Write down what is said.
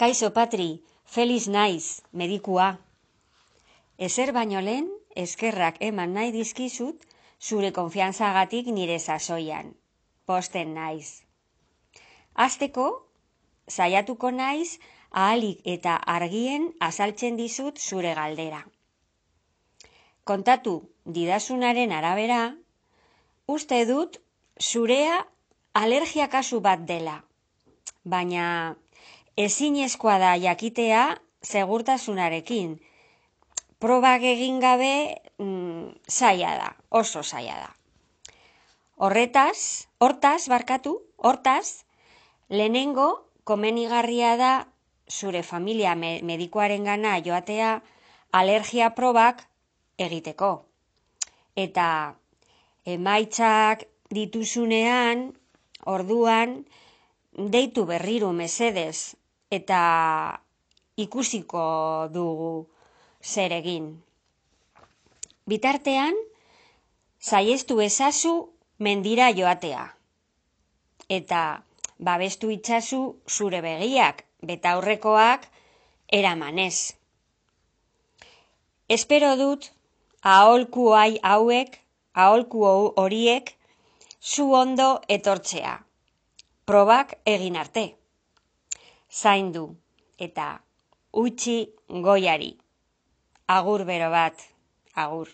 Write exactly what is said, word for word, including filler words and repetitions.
Kaixo Patri, Feliz naiz, medikua. Ezer baino lehen, eskerrak eman nahi dizkizut zure konfiantzagatik nire sasoian. Posten naiz. Hasteko, saiatuko naiz ahalik eta argien azaltzen dizut zure galdera. Kontatu didazunaren arabera, uste dut zurea alergia kasu bat dela, baina ezinezkoa da jakitea segurtasunarekin. Probak egin gabe mm, zaila da, oso zaila da. Horretaz, hortaz, barkatu, hortaz, lehenengo komenigarria da zure familia me, medikuaren gana joatea alergia probak egiteko. Eta emaitzak dituzunean, orduan, deitu berriro mesedez eta ikusiko dugu zer egin. Bitartean, saiestu ezazu mendira joatea. Eta babestu itzazu zure begiak, betaurrekoak eramanez. Espero dut aholku hauek, aholku horiek zu ondo etortzea. Probak egin arte. Zaindu eta utzi goiari. Agur bero bat, agur.